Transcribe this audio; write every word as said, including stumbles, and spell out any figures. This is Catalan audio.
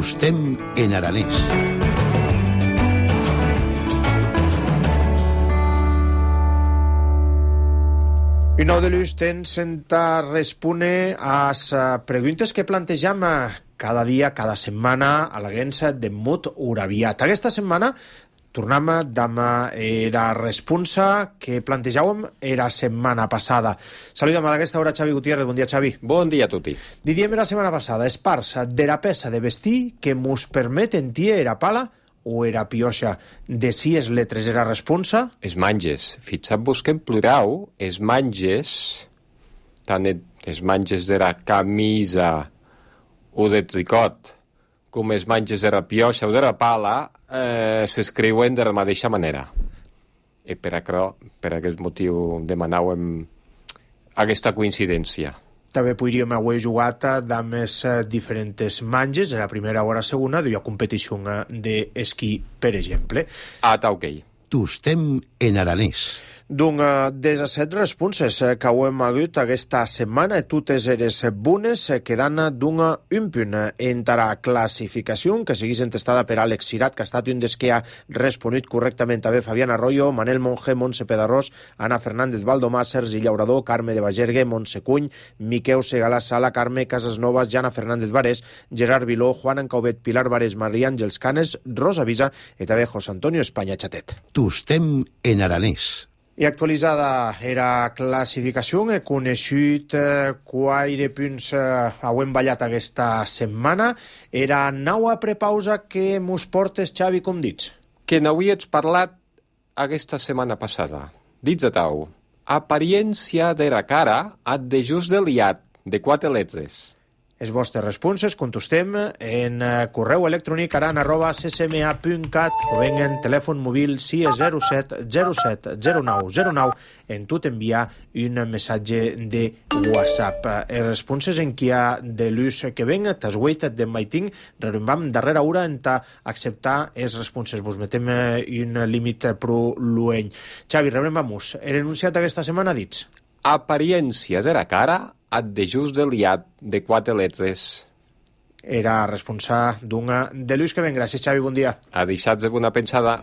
Tostem en aranès. I nou de l'ús tens senta respone a les preguntes que plantejam cada dia, cada setmana a l'agència de Mut Uraviat. Aquesta setmana tornem amb la responsa que plantejàvem la setmana passada. Saludem a aquesta hora Xavi Gutiérrez. Bon dia, Xavi. Bon dia a tutti. Didíem la setmana passada, és parts de la peça de vestir que mos permet entir era pala o era pioixa de si es letres era responsa? Es manges. Fixat-vos que en plural es manges, tant es manges de la camisa o de tricot com es manges de la pioixa o de la pala eh, s'escriuen de la mateixa manera. I per, això, per aquest motiu demanàvem aquesta coincidència. També podríem haver jugat amb les diferents manges, la primera o la segona, de competició d'esquí, per exemple. Ah, està ok. Tostem en aranès. Doncs disset responses que ho hem hagut aquesta setmana, totes eres bones, quedant d'un un punt entre la classificació, que seguís entestada per Àlex Cirat, que ha estat un dels que ha responut correctament. També Fabián Arroyo, Manel Monge, Montse Pedarrós, Ana Fernández Valdomà, Sergi Llaurador, Carme de Bagergue, Montse Cuny, Miqueu Segalà Sala, Carme Casasnovas, Jana Fernández Varés, Gerard Viló, Juan Encauvet, Pilar Varés, Maria Àngels Canes, Rosa Visa i també José Antonio Espanya Chatet. Tostem en aranès. I actualitzada era classificació, he coneixut eh, quatre punts eh, hem ballat aquesta setmana. Era naua prepausa que mos portes, Xavi, com dits? Que n'havies parlat aquesta setmana passada. Dits a tau. Apariència de la cara ad de just de liat, de quatre letres. Les vostres responses contestem en correu electrònic aran arroba c c m a punt cat o ben en telèfon mòbil sis zero set zero set zero nou zero nou en tot enviar un missatge de WhatsApp. Les responses en qui ha de l'ús que ven, t'has waited de maiting, rerombam darrera hora en ta acceptar les responses. Vos metem un límit pro lueny. Xavi, rebrembamos. He renunciat aquesta setmana, dits? Apariència de la cara ad de just de liat de quatre letres. Era responsable d'una de l'ús que ven. Gràcies, Xavi, bon dia. A deixats de bona pensada.